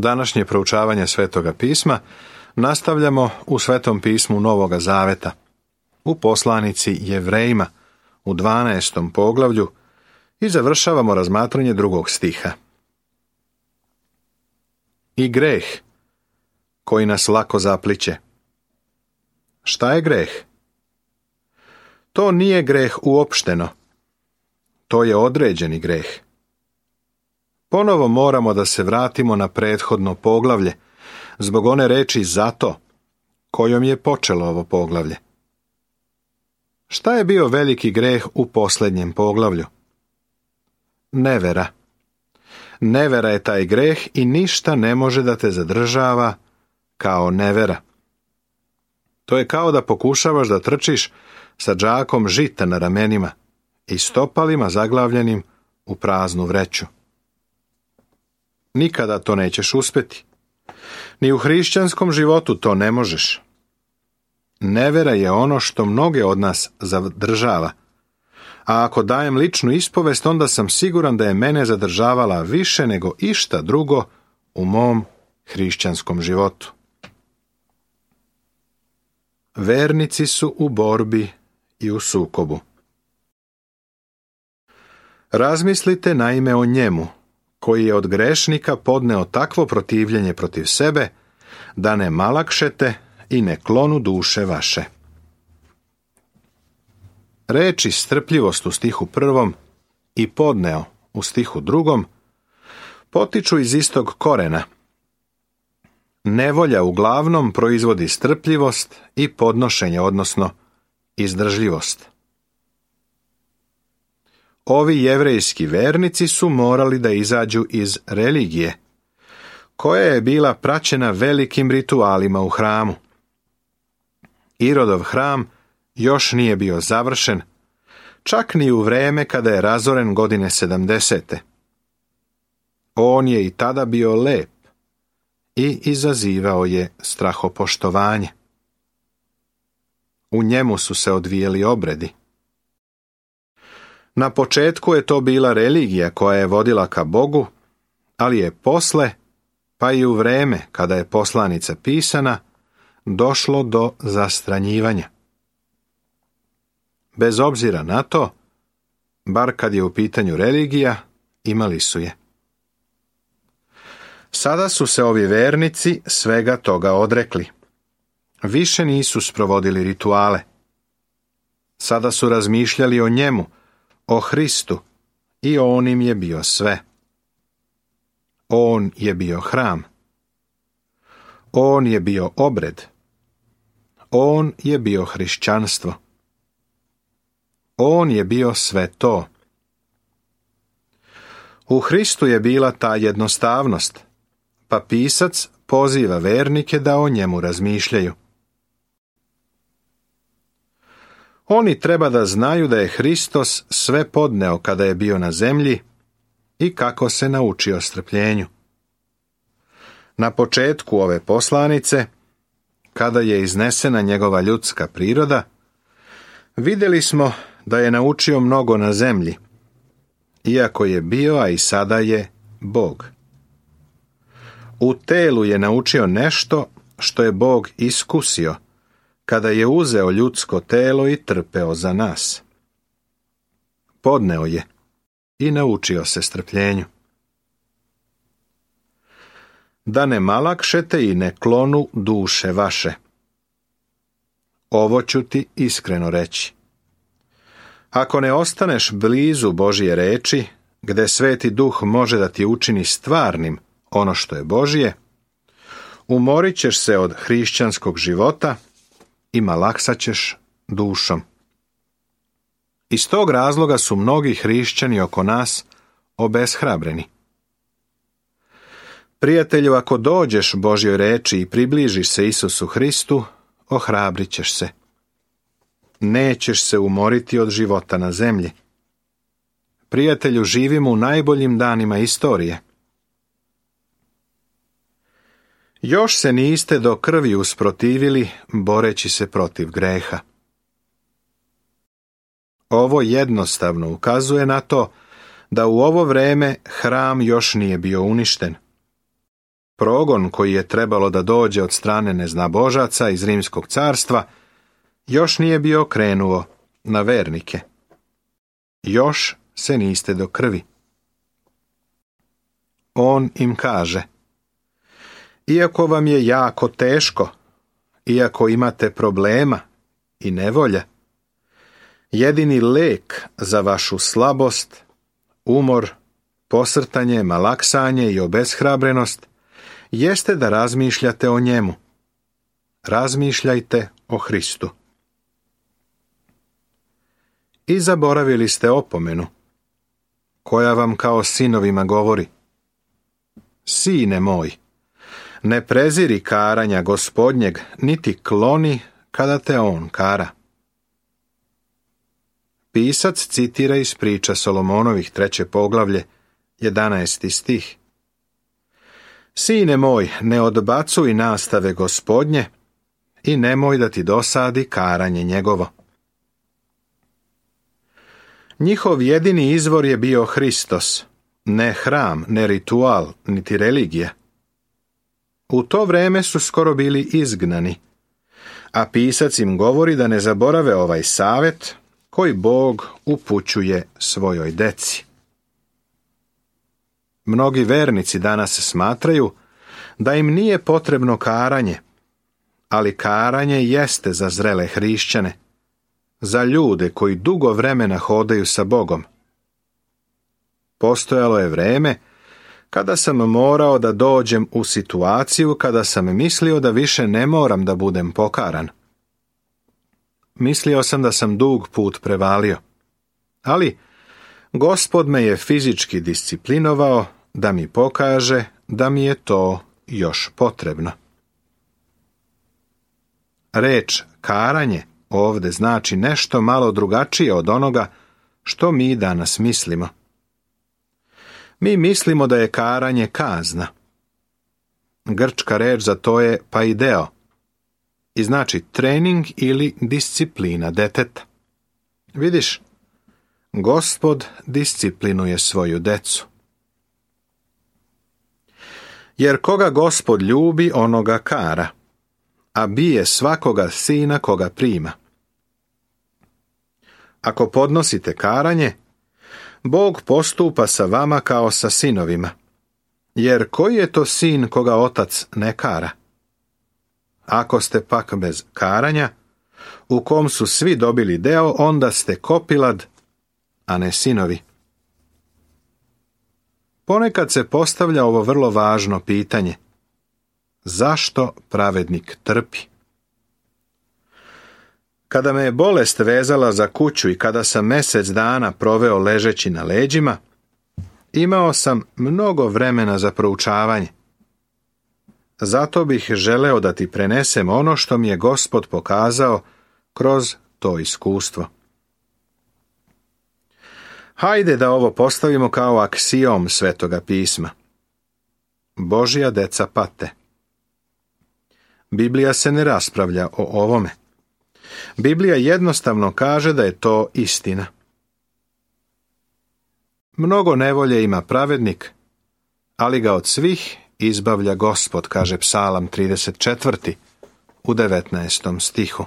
Današnje proučavanje Svetoga pisma nastavljamo u Svetom pismu Novoga Zaveta, u poslanici Jevrejima, u 12. poglavlju i završavamo razmatranje 2. stiha. I greh, koji nas lako zapliće. Šta je greh? To nije greh uopšteno. To je određeni greh. Ponovo moramo da se vratimo na prethodno poglavlje, zbog one reči zato, kojom je počelo ovo poglavlje. Šta je bio veliki greh u posljednjem poglavlju? Nevera. Nevera je taj greh i ništa ne može da te zadržava kao nevera. To je kao da pokušavaš da trčiš sa džakom žita na ramenima i stopalima zaglavljenim u praznu vreću. Nikada to nećeš uspjeti. Ni u hrišćanskom životu to ne možeš. Nevera je ono što mnoge od nas zadržava. A ako dajem ličnu ispovest, onda sam siguran da je mene zadržavala više nego išta drugo u mom hrišćanskom životu. Vernici su u borbi i u sukobu. Razmislite naime o njemu, koji je od grešnika podneo takvo protivljenje protiv sebe, da ne malakšete i ne klonu duše vaše. Reči strpljivost u stihu 1. i podneo u stihu 2. potiču iz istog korena. Nevolja uglavnom proizvodi strpljivost i podnošenje, odnosno izdržljivost. Ovi jevrejski vernici su morali da izađu iz religije, koja je bila praćena velikim ritualima u hramu. Irodov hram još nije bio završen, čak ni u vreme kada je razoren godine 70. On je i tada bio lep i izazivao je strahopoštovanje. U njemu su se odvijeli obredi. Na početku je to bila religija koja je vodila ka Bogu, ali je posle, pa i u vreme kada je poslanica pisana, došlo do zastranjivanja. Bez obzira na to, bar kad je u pitanju religija, imali su je. Sada su se ovi vernici svega toga odrekli. Više nisu sprovodili rituale. Sada su razmišljali o njemu, o Hristu, i on im je bio sve. On je bio hram. On je bio obred. On je bio hrišćanstvo. On je bio sve to. U Hristu je bila ta jednostavnost, pa pisac poziva vernike da o njemu razmišljaju. Oni treba da znaju da je Hristos sve podneo kada je bio na zemlji i kako se naučio strpljenju. Na početku ove poslanice, kada je iznesena njegova ljudska priroda, vidjeli smo da je naučio mnogo na zemlji, iako je bio, a i sada je, Bog. U telu je naučio nešto što je Bog iskusio, kada je uzeo ljudsko telo i trpeo za nas. Podneo je i naučio se strpljenju. Da ne malakšete i ne klonu duše vaše. Ovo ću ti iskreno reći. Ako ne ostaneš blizu Božje reči, gde Sveti Duh može da ti učini stvarnim ono što je Božje, umorit ćeš se od hrišćanskog života i malaksat ćeš dušom. Iz tog razloga su mnogi hrišćani oko nas obeshrabreni. Prijatelju, ako dođeš Božjoj reči i približiš se Isusu Hristu, ohrabrit ćeš se. Nećeš se umoriti od života na zemlji. Prijatelju, živimo u najboljim danima istorije. Još se niste do krvi usprotivili, boreći se protiv greha. Ovo jednostavno ukazuje na to da u ovo vreme hram još nije bio uništen. progon koji je trebalo da dođe od strane neznabožaca iz Rimskog carstva još nije bio krenuo na vernike. Još se niste do krvi. On im kaže: iako vam je jako teško, iako imate problema i nevolja, jedini lek za vašu slabost, umor, posrtanje, malaksanje i obeshrabrenost jeste da razmišljate o njemu. Razmišljajte o Hristu. I zaboravili ste opomenu, koja vam kao sinovima govori: sine moj, ne preziri karanja Gospodnjeg, niti kloni kada te on kara. Pisac citira iz priča Solomonovih 3. poglavlje, 11. stih. Sine moj, ne odbacuj nastave Gospodnje i nemoj da ti dosadi karanje njegovo. Njihov jedini izvor je bio Hristos, ne hram, ne ritual, niti religija. U to vreme su skoro bili izgnani, a pisac im govori da ne zaborave ovaj savjet koji Bog upućuje svojoj deci. Mnogi vernici danas smatraju da im nije potrebno karanje, ali karanje jeste za zrele hrišćane, za ljude koji dugo vremena hodaju sa Bogom. Postojalo je vreme kada sam morao da dođem u situaciju kada sam mislio da više ne moram da budem pokaran. Mislio sam da sam dug put prevalio, ali Gospod me je fizički disciplinovao da mi pokaže da mi je to još potrebno. Reč karanje ovde znači nešto malo drugačije od onoga što mi danas mislimo. Mi mislimo da je karanje kazna. Grčka reč za to je paideo i znači trening ili disciplina deteta. Vidiš, Gospod disciplinuje svoju decu. Jer koga Gospod ljubi, onoga kara, a bije svakoga sina koga prima. Ako podnosite karanje, Bog postupa sa vama kao sa sinovima, jer koji je to sin koga otac ne kara? Ako ste pak bez karanja, u kom su svi dobili deo, onda ste kopilad, a ne sinovi. Ponekad se postavlja ovo vrlo važno pitanje: zašto pravednik trpi? Kada me je bolest vezala za kuću i kada sam mjesec dana proveo ležeći na leđima, imao sam mnogo vremena za proučavanje. Zato bih želeo da ti prenesem ono što mi je Gospod pokazao kroz to iskustvo. Hajde da ovo postavimo kao aksiom Svetoga pisma. Božja deca pate. Biblija se ne raspravlja o ovome. Biblija jednostavno kaže da je to istina. Mnogo nevolje ima pravednik, ali ga od svih izbavlja Gospod, kaže Psalam 34. u 19. stihu.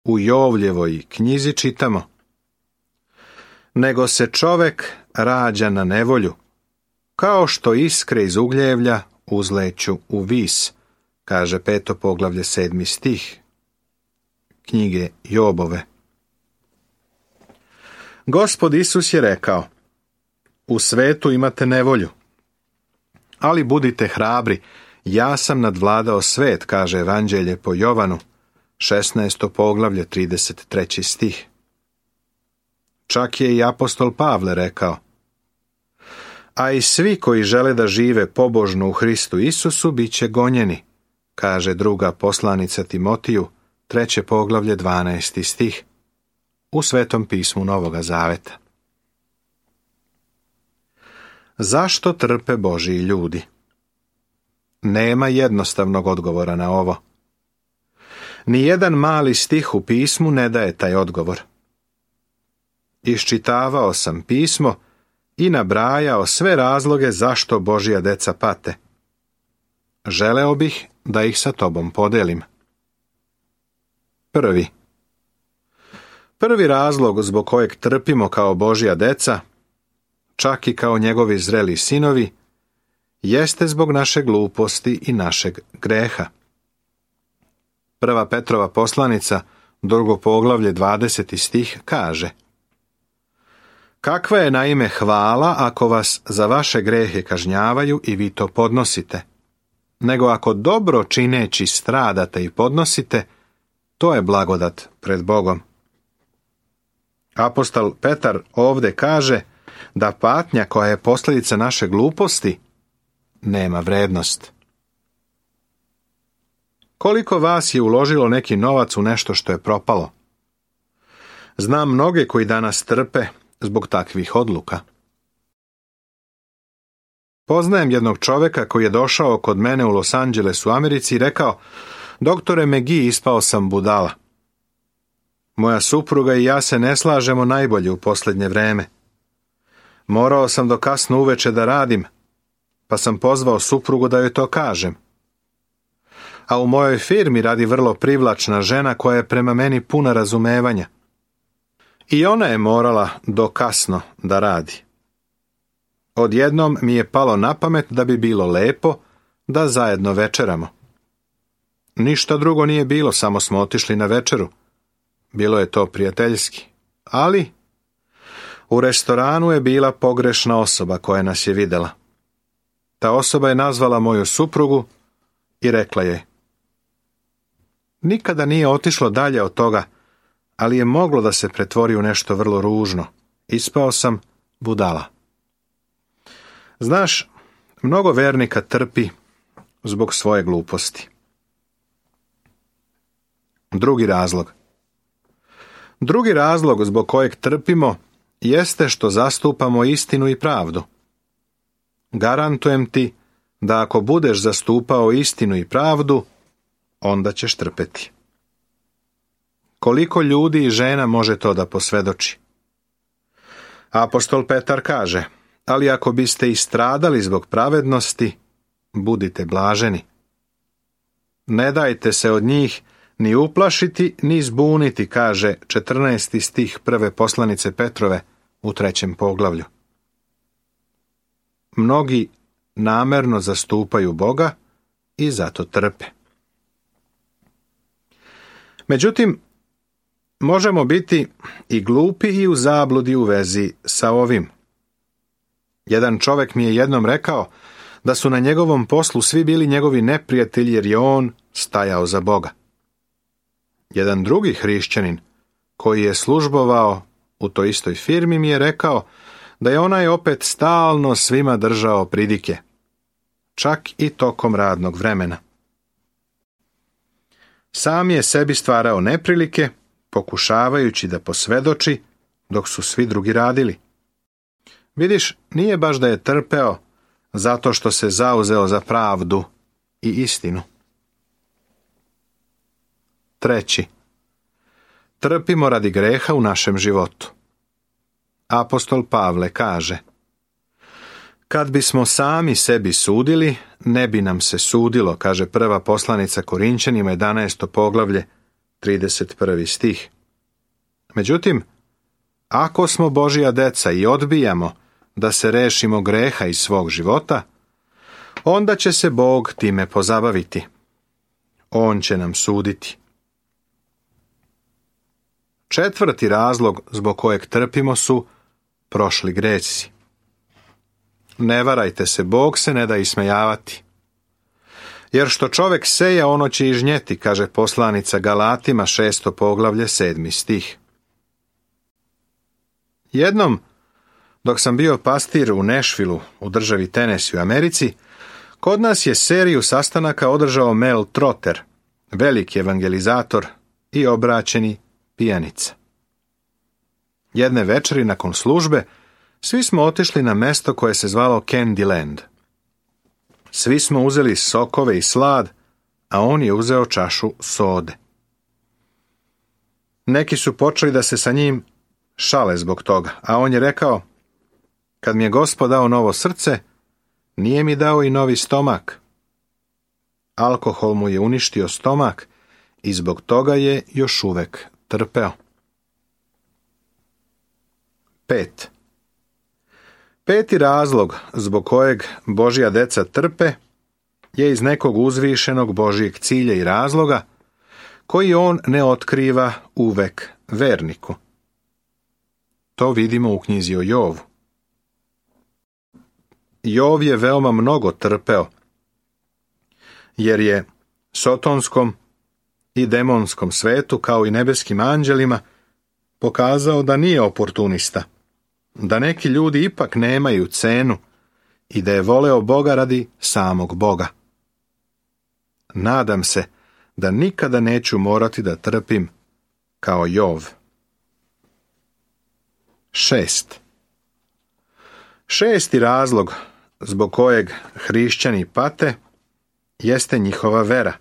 U Jovljevoj knjizi čitamo: nego se čovek rađa na nevolju, kao što iskre iz ugljevlja uzleću u vis, kaže 5. poglavlje 7. stih knjige Jobove. Gospod Isus je rekao: u svetu imate nevolju, ali budite hrabri, ja sam nadvladao svet, kaže Evanđelje po Jovanu, 16. poglavlje 33. stih. Čak je i apostol Pavle rekao: a i svi koji žele da žive pobožno u Hristu Isusu bit će gonjeni, kaže druga poslanica Timotiju, 3. poglavlje 12. stih, u Svetom pismu Novoga Zaveta. Zašto trpe Božji ljudi? Nema jednostavnog odgovora na ovo. Nijedan mali stih u pismu ne daje taj odgovor. Iščitavao sam pismo i nabrajao sve razloge zašto Božja deca pate. Želeo bih da ih sa tobom podelim. Prvi razlog zbog kojeg trpimo kao Božja deca, čak i kao njegovi zreli sinovi, jeste zbog naše gluposti i našeg greha. 1. Petrova poslanica, 2. poglavlje, 20. stih kaže: Kakva je naime hvala ako vas za vaše grehe kažnjavaju i vi to podnosite, nego ako dobro čineći stradate i podnosite, to je blagodat pred Bogom. Apostol Petar ovdje kaže da patnja koja je posljedica naše gluposti nema vrednost. Koliko vas je uložilo neki novac u nešto što je propalo? Znam mnoge koji danas trpe zbog takvih odluka. Poznajem jednog čovjeka koji je došao kod mene u Los Angelesu u Americi i rekao: Doktore McGee, ispao sam budala. Moja supruga i ja se ne slažemo najbolje u posljednje vreme. Morao sam do kasno uveče da radim, pa sam pozvao suprugu da joj to kažem. A u mojoj firmi radi vrlo privlačna žena koja je prema meni puna razumevanja. I ona je morala do kasno da radi. Odjednom mi je palo na pamet da bi bilo lepo da zajedno večeramo. Ništa drugo nije bilo, samo smo otišli na večeru. Bilo je to prijateljski, ali u restoranu je bila pogrešna osoba koja nas je vidjela. Ta osoba je nazvala moju suprugu i rekla je: Nikada nije otišlo dalje od toga, ali je moglo da se pretvori u nešto vrlo ružno. Ispao sam budala. Znaš, mnogo vernika trpi zbog svoje gluposti. Drugi razlog zbog kojeg trpimo jeste što zastupamo istinu i pravdu. Garantujem ti da ako budeš zastupao istinu i pravdu, onda ćeš trpeti. Koliko ljudi i žena može to da posvjedoči? Apostol Petar kaže: Ali ako biste i stradali zbog pravednosti, budite blaženi. Ne dajte se od njih ni uplašiti, ni zbuniti, kaže 14. stih 1. poslanice Petrove u 3. poglavlju. Mnogi namerno zastupaju Boga i zato trpe. Međutim, možemo biti i glupi i u zabludi u vezi sa ovim. Jedan čovjek mi je jednom rekao da su na njegovom poslu svi bili njegovi neprijatelji jer je on stajao za Boga. Jedan drugi hrišćanin koji je službovao u toj istoj firmi mi je rekao da je onaj opet stalno svima držao pridike, čak i tokom radnog vremena. Sam je sebi stvarao neprilike, pokušavajući da posvjedoči dok su svi drugi radili. Vidiš, nije baš da je trpeo zato što se zauzeo za pravdu i istinu. 3. Trpimo radi greha u našem životu. Apostol Pavle kaže: Kad bismo sami sebi sudili, ne bi nam se sudilo, kaže 1. poslanica Korinćanima 11. poglavlje 31. stih. Međutim, ako smo Božja deca i odbijamo da se rešimo greha iz svog života, onda će se Bog time pozabaviti. On će nam suditi. 4. razlog zbog kojeg trpimo su prošli greci. Ne varajte se, Bog se ne da ismejavati. Jer što čovjek seje, ono će i žnjeti, kaže poslanica Galatima 6. poglavlje 7. stih. Jednom, dok sam bio pastir u Nashvilleu, u državi Tennessee u Americi, kod nas je seriju sastanaka održao Mel Trotter, veliki evangelizator i obraćeni pijanica. Jedne večeri nakon službe, svi smo otišli na mesto koje se zvalo Candyland. Svi smo uzeli sokove i slad, a on je uzeo čašu sode. Neki su počeli da se sa njim šale zbog toga, a on je rekao: Kad mi je Gospod dao novo srce, nije mi dao i novi stomak. Alkohol mu je uništio stomak i zbog toga je još uvek trpeo. 5. Peti razlog zbog kojeg Božja deca trpe je iz nekog uzvišenog Božjeg cilja i razloga koji on ne otkriva uvek verniku. To vidimo u knjizi o Jovu. Jov je veoma mnogo trpeo, jer je sotonskom i demonskom svetu, kao i nebeskim anđelima, pokazao da nije oportunista, da neki ljudi ipak nemaju cenu i da je voleo Boga radi samog Boga. Nadam se da nikada neću morati da trpim kao Jov. 6. Šesti razlog zbog kojeg hrišćani pate jeste njihova vera,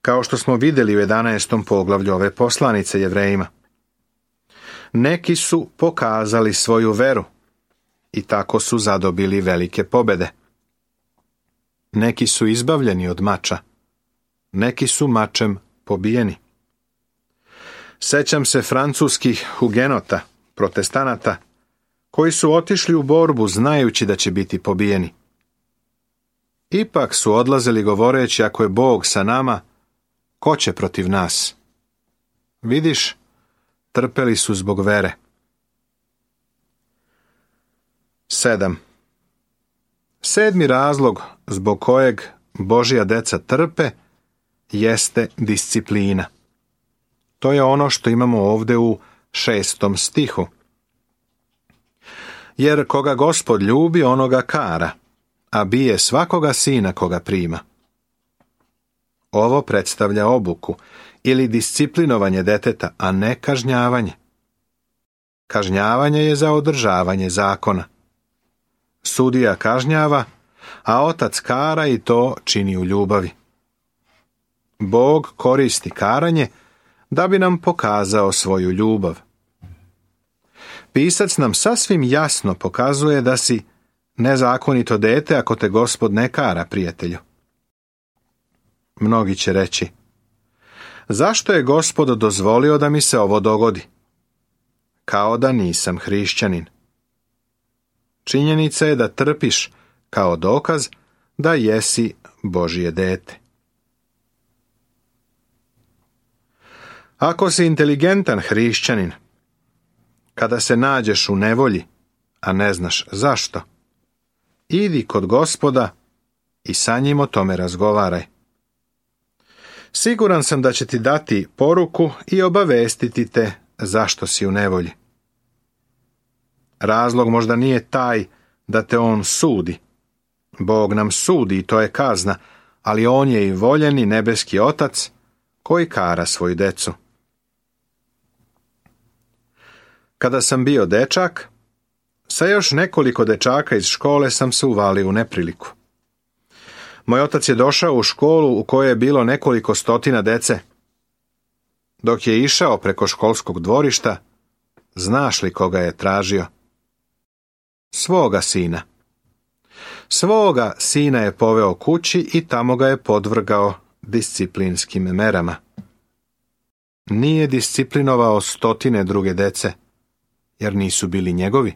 kao što smo vidjeli u 11. poglavlju ove poslanice Jevrejima. Neki su pokazali svoju veru i tako su zadobili velike pobede. Neki su izbavljeni od mača, neki su mačem pobijeni. Sećam se francuskih hugenota, protestanata, koji su otišli u borbu znajući da će biti pobijeni. Ipak su odlazili govoreći, ako je Bog sa nama, ko će protiv nas? Vidiš, trpeli su zbog vere. 7. Sedmi razlog zbog kojeg Božja deca trpe jeste disciplina. To je ono što imamo ovdje u 6. stihu. Jer koga Gospod ljubi, onoga kara, a bije svakoga sina koga prima. Ovo predstavlja obuku ili disciplinovanje deteta, a ne kažnjavanje. Kažnjavanje je za održavanje zakona. Sudija kažnjava, a otac kara i to čini u ljubavi. Bog koristi karanje da bi nam pokazao svoju ljubav. Pisac nam sasvim jasno pokazuje da si nezakonito dete ako te Gospod ne kara, prijatelju. Mnogi će reći, zašto je Gospod dozvolio da mi se ovo dogodi? Kao da nisam hrišćanin. Činjenica je da trpiš kao dokaz da jesi Božje dete. Ako si inteligentan hrišćanin, kada se nađeš u nevolji, a ne znaš zašto, idi kod Gospoda i sa njim o tome razgovaraj. Siguran sam da će ti dati poruku i obavestiti te zašto si u nevolji. Razlog možda nije taj da te on sudi. Bog nam sudi i to je kazna, ali on je i voljeni nebeski otac koji kara svoju decu. Kada sam bio dečak, sa još nekoliko dečaka iz škole sam se uvalio u nepriliku. Moj otac je došao u školu u kojoj je bilo nekoliko stotina dece. Dok je išao preko školskog dvorišta, znaš li koga je tražio? Svoga sina. Svoga sina je poveo kući i tamo ga je podvrgao disciplinskim merama. Nije disciplinovao stotine druge dece, jer nisu bili njegovi.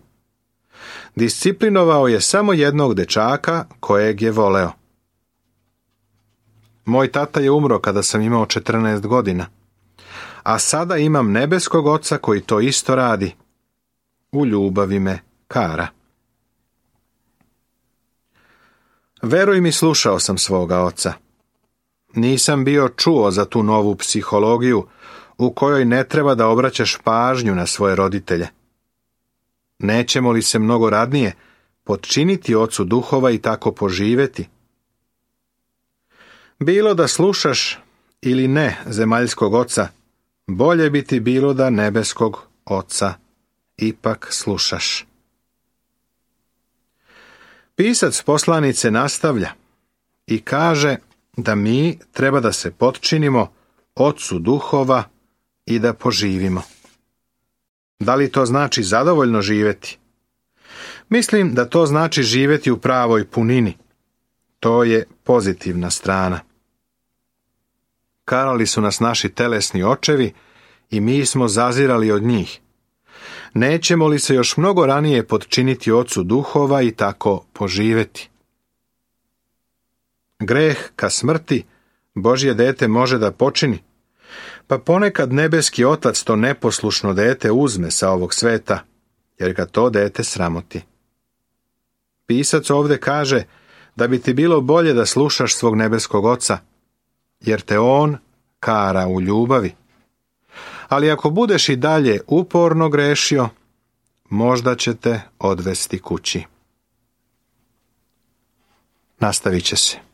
Disciplinovao je samo jednog dečaka kojeg je voleo. Moj tata je umro kada sam imao 14 godina, a sada imam nebeskog oca koji to isto radi. U ljubavi me kara. Veruj mi, slušao sam svoga oca. Nisam bio čuo za tu novu psihologiju u kojoj ne treba da obraćaš pažnju na svoje roditelje. Nećemo li se mnogo radnije potčiniti ocu duhova i tako poživeti? Bilo da slušaš ili ne zemaljskog oca, bolje bi ti bilo da nebeskog oca ipak slušaš. Pisac poslanice nastavlja i kaže da mi treba da se potčinimo ocu duhova i da poživimo. Da li to znači zadovoljno živjeti? Mislim da to znači živjeti u pravoj punini. To je pozitivna strana. Karali su nas naši telesni očevi i mi smo zazirali od njih. Nećemo li se još mnogo ranije podčiniti ocu duhova i tako poživjeti? Greh ka smrti Božje dete može da počini, pa ponekad nebeski otac to neposlušno dete uzme sa ovog sveta, jer ga to dete sramoti. Pisac ovdje kaže da bi ti bilo bolje da slušaš svog nebeskog oca, jer te on kara u ljubavi. Ali ako budeš i dalje uporno grešio, možda će te odvesti kući. Nastavit će se.